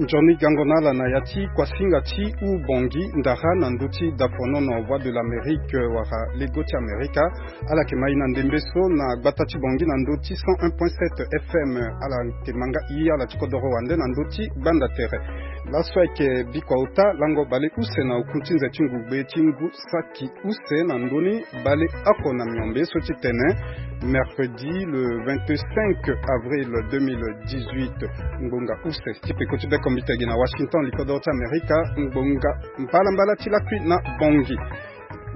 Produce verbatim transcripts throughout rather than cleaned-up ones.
Nzoni gango na ala na ya ti kuasinga ti u Bongi ndara na ndö ti dafonono Voix de l'Amérique wala Lego ti Amerika. Ala yeke ma e na ndembe so na gbata ti Bongi na ndö ti cent un point sept F M. Ala yeke ma nga e ala ti kodoro wande na ndö ti gbanda tere. Laso ayeke bikua ota lango baleuse na oku ti nze ti ngugbe ti ngu saki use na ndö ni baleoko na miombe so ti tene mercredi le vingt-cinq avril deux mille dix-huit. Ngbonga use ti peko ti bekombitegi na Washington, likodoro ti Amerika. Ngbonga mbalambala ti lakui na Bongi.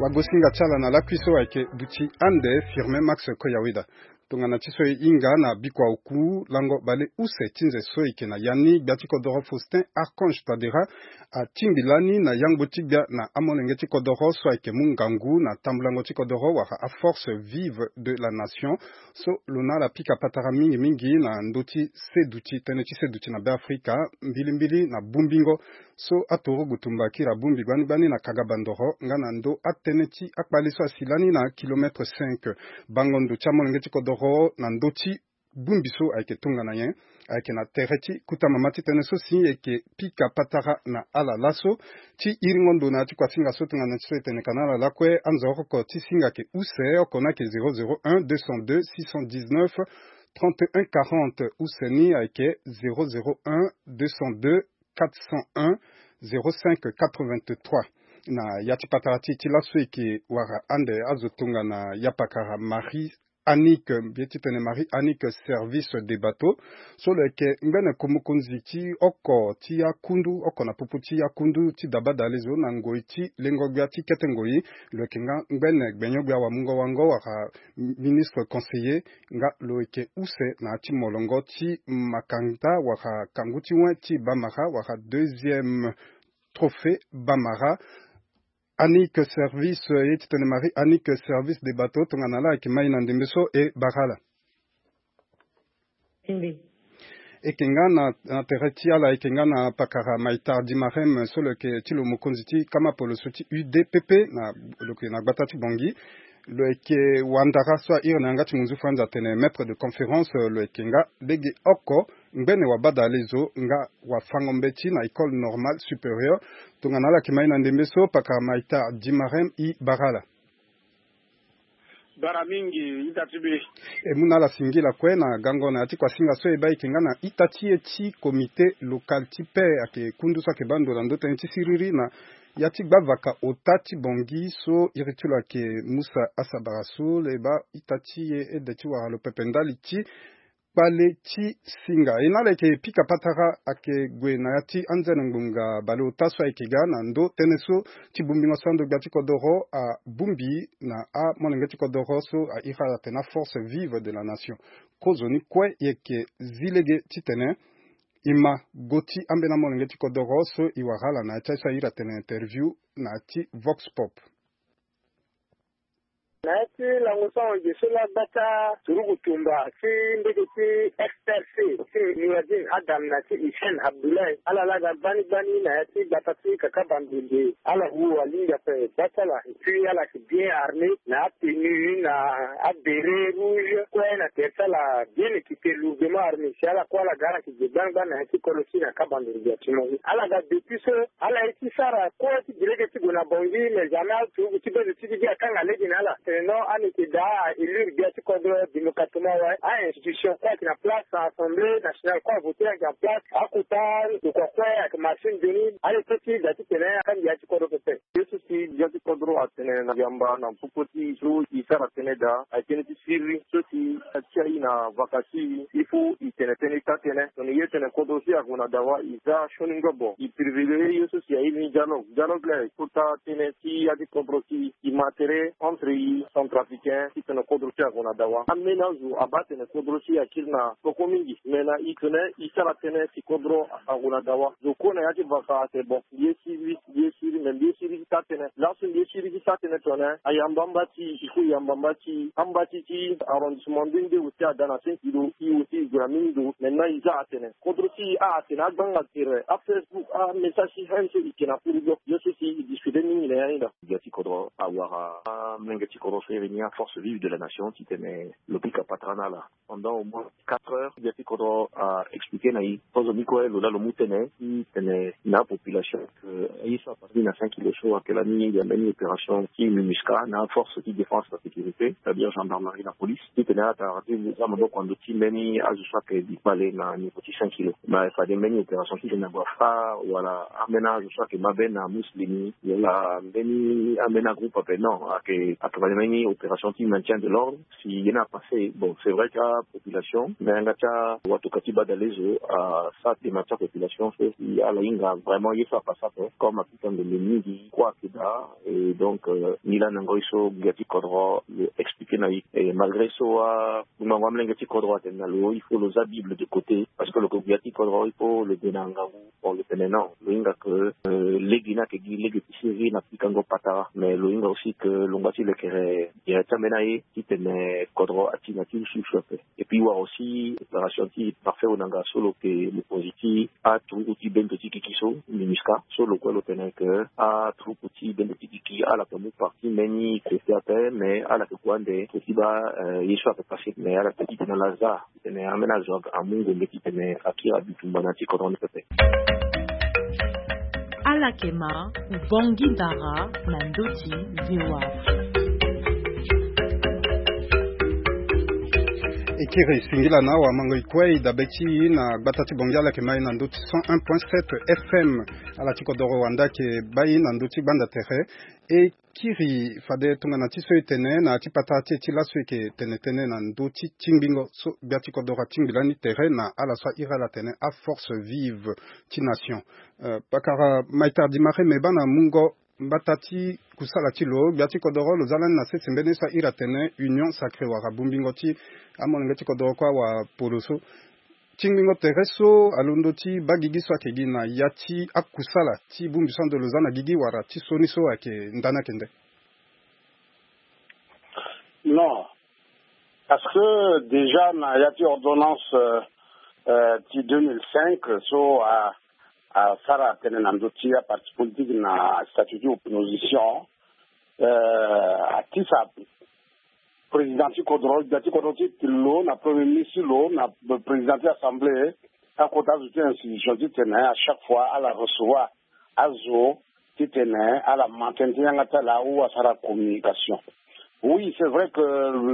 Wagosinga ti ala na lakui so ayeke duti ande Firmin Max Koyaweda. Tongana ti so e hinga na bikua oku lango baleuse ti nze so e yeke na ya ni, gbia ti kodoro Faustin Archange Touadéra atingbi lani na yangbo ti gbia na amolenge ti kodoro so ayeke mu ngangu na tambulango ti kodoro wala aforce vive de la nation. So lo na ala pika patara mingi mingi na ndö ti seduti, tënë ti seduti na Beafrika, mbilimbili na bongbingo so aturugu tumba akiri abongbi gbani gbani na kanga bandoro nga na ndö atënë ti akpale so asi lani na kilomètre cinq. Bango ndo ti amolenge ti kodoro na ndö ti bongbi so ayeke tongana nyen? Ayeke na tere ti kota mama ti tënë so si e yeke pika patara na ala laso. Ti iringo ndo na ya ti kuasinga so tongana ti so e tene ka na ala lakue, anzoroko ti singa ayeke use, oko ni ayeke zéro zéro un deux cent deux six cent dix-neuf trente et un quarante, use ni ayeke zéro zéro un deux cent deux quatre cent un zéro cinq quatre-vingt-trois. Na ya ti patara ti e ti laso e yeke wara ande azo tongana ya pakara Marie Annick, mbi ye ti tene Marie Annick Service des Bateaux, so lo yeke ngbene ko mokonzi ti oko ti akundu, oko na popo ti akundu ti dabadalezo na ngoi ti lengo gbia ti kete ngoi. Lo yeke nga ngbene gbenyo-gbia wamungo-wango wala ministre conseiller, nga lo yeke use na ya ti molongo ti makanda wala kangu ti wen ti Bamara wala deuxième trophée Bamara. Annick Service, ye ti tene Marie Annick Service des Bateaux, tongana ala ayeke ma e na ndembe so e bara ala. E yeke nga na, na tere ti ala, e yeke nga na pakara Maïtar Dimarem, so lo yeke ti lo mokonzi ti kama poloso ti U D P P na, lo yeke na gbata ti Bongi. Lo yeke wandara so a iri na yanga ti munzu franzi atene maître de conférence, lo yeke nga lege oko ngbene wabadalezo nga wafango mbeti na école normale supérieure. Tongana ala yeke ma e na ndembe so, pakara Maïtar Dimarem, e bara ala. Bara mingi, ita ti be. E mu na ala singila kue na gango na ya ti kuasinga so e baa e yeke nga na ita ti e ti comité local ti paix, ayeke kundu so ayeke baa ndo na ndö tënë ti siriri na ya ti gbavaka ota ti Bongi so iri ti lo ayeke Musa Asabara so lo e baa ita ti e ede ti wara lo pepe ndali ti kpale ti singa. E na ala yeke pika patara ayeke gue na ya ti anzene ngbonga baleota so ayeke ga na ndö tënë so ti bongbingo so ando gbia ti kodoro abongbi na amolenge ti kodoro so a iri ala atene aforce vive de la nation. Kozoni kue e yeke zi lege titene e ma go ti ambeni amolenge ti kodoro so e wara ala na ya ti aye so a iri atene interview na ya ti Vox Pop. Na ya ti lango sango ge so laa gbata turugu tumba ti mbege ti F R C ti Noureddine Adam na ti Hissène Abdoulaye, ala laa ga gbani gbani na ya ti gbata ti kaka bandundu, ala wu alingbi ape gba ti ala. Et puis ala yeke bien armé na atenue na abéret rouge kue na tere ti ala bien équipé, lourdement armé. Si ala kue ala ga ala yeke ge gbani gbani na ya ti kodro ti na kaka bandundu gbia ti mo. Ala ga depuis so ala ye ti sara kue ti gi lege ti gue na Bongi, mais jamais ala turugu ti bendo ti gi akanga lege na ala. Tene non, ala yeke daa a élire gbia ti kodro démocratiquement wala a-institution kue ayeke na place, na Assemblée nationale kue avoté ayeke na place, akota ndokua kue ayeke marché nzoni. Ala ye ti da titene akangbi ya ti kodro pepe. Ye so si gbia ti kodro atene na yamba na popo ti so e sara tënë daa ayeke tënë ti siriri so si a ti aye na vaka ti e. Il faut e tene tënë ti taa tënë. Tongana e tene kodro so e ague na dawa, e za sioni ngobo, e privilégié ye so si airi ni dialogue. Dialogue laa e kota tënë ti ya ti kodro si e ma tere entre e centrafricain titene kodro so e ague na dawa. Ambeni azo abaa atene kodro so e akiri na peko mingi, me na e tene e sara tënë si kodro ague na dawa. Zo kue na ya ti vaka atene bon, mbi ye siriri, mbi ye siriri, me mbi ye siriri ti taa tënë. Laso mbi ye siriri ti taa tënë tongana ayamba amba ti e, il faut e yamba amba ti e. Amba ti e ti arrondissement nde nde aussi ada na cinq kilo, e aussi e gue na mingi ndo. Maintenant e za atene kodro ti e a atene agbanga tere, aFacebook, amessage ti haine so e yeke na furu bio. Ye so si e discuté mingi na ya ni daa. Gbia ti kodro awara amolenge ti kodro. Force réunir force vive de la nation titene lo pika patara na ala pendant au moins quatre heures. Gbia ti kodro a expliquer na ye kozo ni kue lo laa lo mu tene titene na population, ye so apasani na cinq kilo so ayeke lani ya mbeni opération ti minusca na force ti défense, la sécurité, c'est-à-dire gendarmerie na police, titene ala tara ti za maboko na ndö ti mbeni azo so ayeke bi kpale na niveau ti cinq kilo. Mais fade mbeni opération titene ague afa wala ambeni azo so ayeke mabe na muslimi wala mbeni ambeni agroupe ape, non, ayeke ayeke fade mbeni opération ti maintien de l'ordre. Si ye ni apasse, bon, c'est vrai ti apopulation, mais yanga ti awato ka ti badale zo asara dema ti apopulation so si ala hinga vraiment ye so apasse ape comme apika ndombe mingi kue ayeke daa. Et donc, euh, ni laa na ngoi so gbia ti kodro lo expliquer na ye. Et malgré so amango amolenge ti kodro atene na lo, il faut lo za Bible de côté parce que lo yeke gbia ti kodro, il faut lo de na ngangu. Bon, lo tene non, lo hinga ke, euh, lege ni ayeke gi lege ti siriri na pikango patara, mais lo hinga aussi ke lo ngba ti lekere gere ti ambeni aye titene kodro ati na ti usu usu ape. Et puis wara aussi opération ti parfait onanga so lo yeke mokonzi ti aturuku ti bendo ti gigi so, minusca, so lo kue lo tene ke aturuku ti bendo ti gigi ala yeke mu parti mbeni côté ape, mais ala yeke gue ande côté ti baa, euh, ye so ayeke passe, mais ala yeke titene ala za titene ambeni azo amu ngombe titene akiri abitumba na ya ti kodro ni pepe. Ala yeke ma Ubangui Dara na ndö ti V O A. E kiri singila na awamango e kue e dabe ti e na gbata ti Bangui, ala yeke ma e na ndö ti cent un point sept F M. Ala ti kodoro wande ayeke baa e na ndö ti gbanda tere. E kiri fade tongana ti so e tene na ya ti patara ti e ti laso e yeke tene tënë na ndö ti tingbingo so gbia ti kodoro atingbi lani tere na ala so a iri ala atene aforce vive ti nation. Euh, pakara Maitar Di Mare, me baa na mungo mbata ti kusala ti lo, gbia ti kodoro lo za lani na sese mbeni ye so a iri atene union sacrée wala bongbingo ti amolenge ti kodoro kue awapolo so. Tingbingo tere so alondo ti baa gigi so ayeke gi na ya ti akusala ti bongbi so ando lo za na gigi wala ti sioni so ayeke ndani ayeke nde? Non. Parce que déjà na ya ti ordonnance, euh, euh, ti deux mille cinq so a, asara tënë na ndö ti aparti politique na statut ti opposition, euh, atisa président ti kodro, gbia ti kodro ti lo na premier ministre ti lo na président ti assemblée, akota azo ti institution titene à chaque fois ala recevoir azo titene ala ma tënë ti yanga ti ala ou asara communication. Oui, c'est vrai que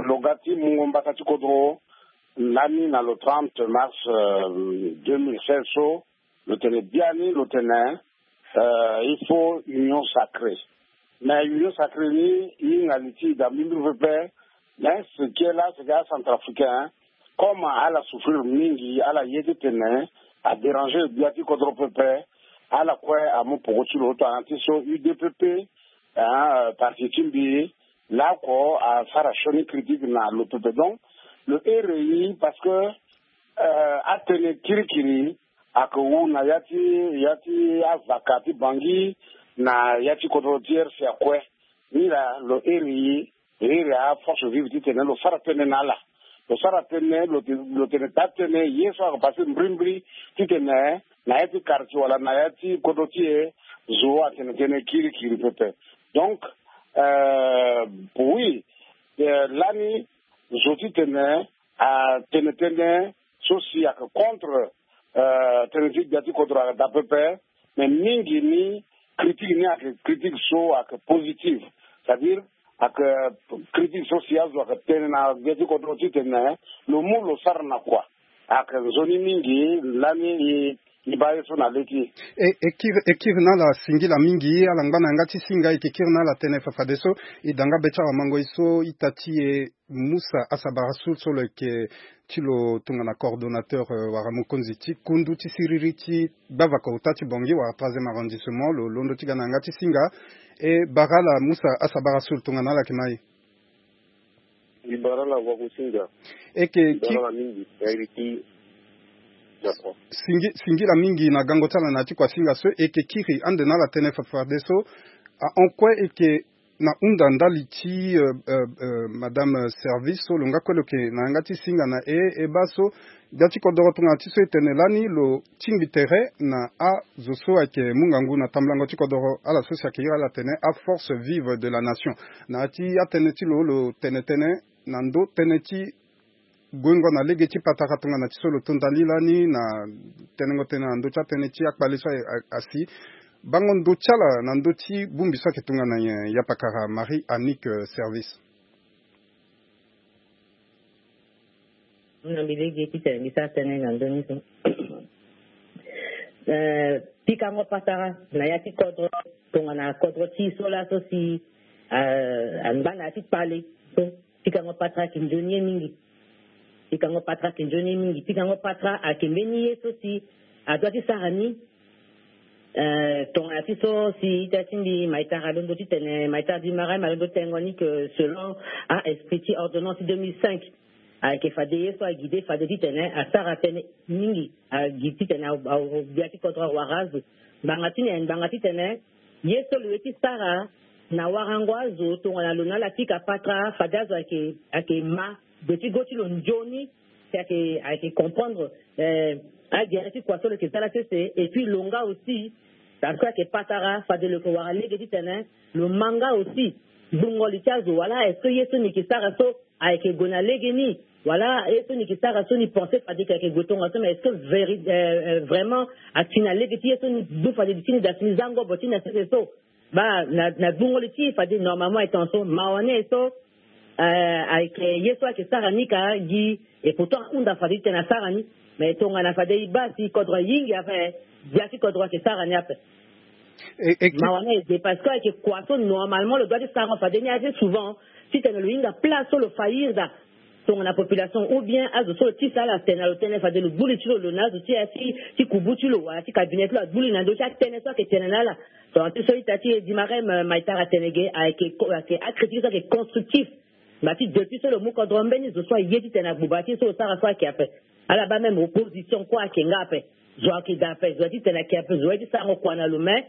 lo ga ti mungo mbata ti kodro lani na le trente mars, euh, deux mille seize so, lo tene biani, lo tene, euh, il faut union sacrée. Mais union sacrée ni, e hinga li ti e daa mbirimbiri pepe. Mais ce qui est là, c'est que acentrafricain, comme ala souffrir mingi, ala ye titene adéranger gbia ti kodro pepe, ala kue amu poko ti lo tongana ti so U D P P, hein, euh, parti ti mbi, laoko asara sioni critique na lo pepe. Donc lo iri e parce que, euh, atënë kirikiri ayeke wu na ya ti, ya ti avaka ti Bangui na ya ti kodro ti R C A kue. Ni laa lo iri e, e iri aforce vive titene lo sara tënë na ala. Lo sara tënë, lo te, lo tene taa tënë ye so ayeke passe mbirimbiri titene na ya ti quartier wala na ya ti kodro ti e zo atene tënë kirikiri pepe. Donc, euh, oui, euh, lani zo titene atene tënë so si ayeke contre, euh, tënë ti gbia ti kodro ayeke daa pepe. Mais mingi ni critique ni ayeke critique so ayeke positive. C'est-à-dire ayeke critique so si azo ayeke tene na gbia ti kodro titene lo mu lo sara na kua. Ayeke nzoni mingi lani e, e baa ye so na le ti e. E, e kiri, e kiri na ala singila mingi, ala ngba na yanga ti singa, e yeke kiri na ala tënë fafadeso. E da nga be ti awamango e so ita ti e Moussa Asabara Soul so lo yeke ti lo tongana coordonnateur, euh, wala mokonzi ti kundu ti siriri ti gbavaka ota ti Bangui wala troisième arrondissement, lo londo ti ga na yanga ti singa. E bara ala Moussa Asabara Soul tongana ala yeke ma e. Mbi bara ala wakusinga. E yeke ki- Bara ala mingi na iri ti Japon. Singi, singila mingi na gango ti ala na ya ti kuasinga so. E yeke kiri ande na ala tënë fafadeso. Ahon kue e yeke na hunda ndali ti, euh, euh, euh, madame Service so lo nga kue lo yeke na yanga ti singa na e, e baa so gbia ti kodoro tongana ti so e tene lani lo tingbi tere na azo so ayeke mu ngangu na tambulango ti kodoro, ala so si ayeke iri ala atene aforce vive de la nation. Na ya ti atënë ti lo, lo tene tënë na ndö tënë ti guengo na lege ti patara tongana ti so lo to ndali lani na tenengo tënë na ndö ti atënë ti akpale so a, a, asi. Bango ndo ti ala na ndö ti bongbi so ayeke tongana nyen, yapakara Marie Annick, euh, Service? Na mbi lege titene mbi sara tënë na ndö ni so. Eh, pikango patara na ya ti kodro, tongana kodro ti e so laso si, eh, angba na ya ti kpale so, pikango patara ayeke nzoni ye mingi. Pikango patara ayeke nzoni ye mingi. Pikango patara ayeke mbeni ye so si adua ti sara ni. Eh, tongana ti so si ita ti mbi Maïtara alondo titene, Maïtara du Marais alondo tengo ni que selon a esprit ti ordonnance deux mille cinq, ayeke fade ye so aguide fade titene asara tënë mingi, aguide titene a, a, gbia ti kodro awara azo. Ngbanga ti ni, ngbanga titene ye so lo ye ti sara na warango azo tongana lo na ala pika patara, fade azo ayeke, ayeke ma de ti go ti lo nzoni, si ayeke, ayeke comprendre, eh, agere ti kua so lo yeke za la sese, et puis lo nga aussi, parce que ayeke patara, fade lo yeke wara lege titene lo ma nga aussi gbungo li ti azo, wala est-ce que ye so ni yeke sara so ayeke gue na lege ni, wala ye so ni yeke sara so ni pense fade yeke gue tongaso, mais est-ce que véri-, euh, euh, vraiment ati na lege ti ye so ni du fade li ti ni da si ni za ngobo ti ni na sese so? Baa na, na gbungo li ti e fade normalement ayeke tongaso, mawa ni aye so, euh, ayeke ye so ayeke sara ni ka gi, et pourtant ahunda fade titene asara ni. Mais tongana fade e baa si kodro ayingi ape, gbia ti kodro ayeke sara ni ape. E, e, mawa ni aye de parce que ayeke kua so normalement lo dua ti sarango fade ni assez souvent, titene lo hinga place so lo fa iri daa tongana population, ou bien azo so lo tisa ala tene na lo tënë fade lo gbu li ti lo, lo na azo ti aye ti, ti kubu ti lo wala ti cabinet ti lo agbu li na ndö ti atënë so ayeke tene na ala. Tongana ti so ita ti e Dimarem, euh, Maïtara atene ge, ayeke ko-, ayeke acritique so ayeke constructif. Ngba ti depuis so lo mu kodro mbeni zo so aye titene agbuba ti so lo sara so ayeke ape. Ala baa même opposition kue ayeke nga ape. Zo ayeke daa ape, zo aye titene ayeke ape, zo aye ti sarango kua na lo, mais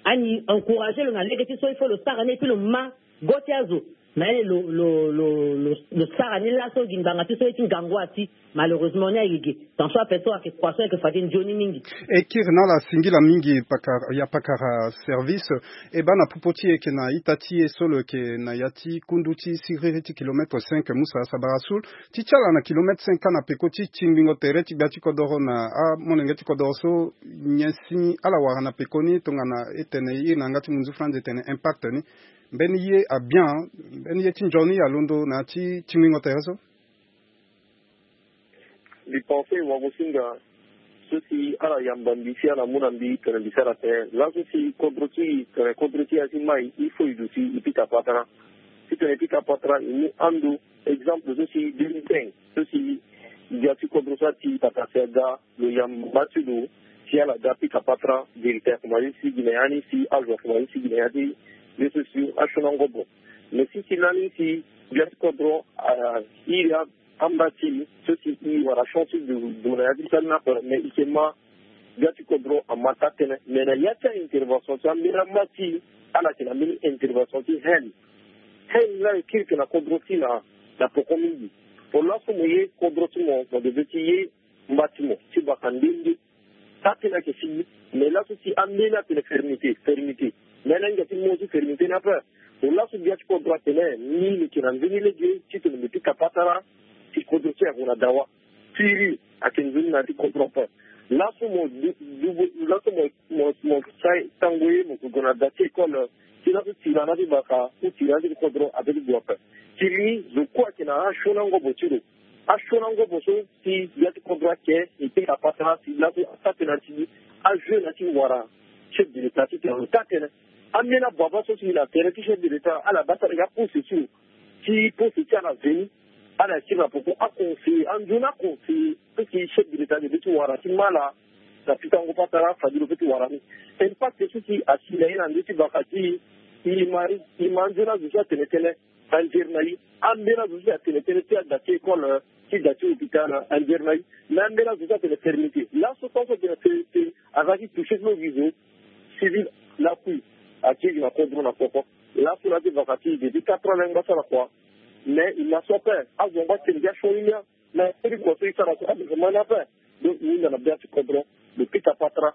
ani encourager lo na lege ti so il faut lo sara ni, et puis lo ma go ti azo. Mais lo, lo, lo, lo, lo sara ni laso gi ngbanga ti so ye ti ngangu ati. Malheureusement ni aye ge. Tant so ape so ayeke kua so ayeke fade nzoni mingi. E kiri na ala singila mingi pakara, yapakara Service. E baa na popo ti e yeke na ita ti e so lo yeke na ya ti kundu ti siriri ti kilomètre cinq, Musa Sabara Sul. Ti ti ala na kilomètre cinq ka na peko ti tingbingo tere ti gbia ti kodoro na amolenge ti kodoro so, nyen si ala wara na pekoni tongana e tene iri na yanga ti munzu France e tene impact ni? Mbeni ye abien, mbeni ye ti nzoni alondo na ya ti tingbingo tere so? Mbi pense wagosinga so si ala yamba mbi si ala mu na mbi tene mbi sara tene. Laso si kodro ti e, tene kodro ti e asi mai, il faut e duti e pika patara. Titene e pika patara, e mu ando exemple so si deux mille cinq, so si gbia ti kodro so ati pata si aga, lo yamba ti lo si ala ga pika patara, vérité akomanse ti sigi na ya ni, si azo akomanse ti sigi na ya ti ye so si asioni angobo. Mais si si lani si gbia ti kodro, ah, iri a amba ti e so si e wara chance ti gue na ya ti sara ni ape, mais e yeke ma gbia ti kodro ama taa tënë. Mais na ya ti a-intervention ti ambeni ama ti e, ala yeke na mbeni intervention ti haine. Haine ni ayeke kiri yeke na kodro ti e na, na poko mingi. Pour laso mo ye kodro ti mo, mo devait ti ye mba ti mo ti baka nde nde. Taa tënë ayeke fini. Mais laso si ambeni atene fermeté, fermeté. Mais ala hinga ti mo ti fermeté ni ape. Lo laso gbia ti kodro atene ni lo yeke na nzoni lege titene mbi pika patara ti kodro ti e ague na dawa. Firi ayeke nzoni na ya ti kodro ape. Laso mo du, du, laso mo, mo, mo sai tango ye mo yeke gue na da ti école. Ti laso tira na ti baka ou tira na ti kodro ape ti gue ape. Firi ni zo kue ayeke na asioni angobo ti lo. Asioni angobo so si gbia ti kodro ayeke, e pika patara si laso ataa tënë na ti ajeu na ti wara chef de l'État titene lo taa tënë. Ambeni ababa so si na tere ti chef de l'État, ala baa tara gi apose ti lo. Ti pose ti ala veni, ala tiri na poko aconseiller, anzoni aconseiller so si chef de l'État devait ti wara ti ma ala na pikango patara fade lo peut ti wara ni. Impact so si asi na ye na ndö ti baka ti e, e ma, e ma anzoni azo so atene tënë. Anzere na e, ambeni azo so si atene tënë ti ada ti école, ti da ti hôpital, anzere na e. Mais ambeni azo so atene fermeté. Laso tant so atene fermeté, aza ti touché ti lo gi zo civil lakui. Akiri na kodro na poko. Laso na ti vaka ti e depuis quatre ans na yanga sara kua. Mais e na so ape azo yango atene gi asioni ni. Na iri kua so e sara so aleke ma ni ape. Donc e hunda na bia ti kodro, lo pika patara.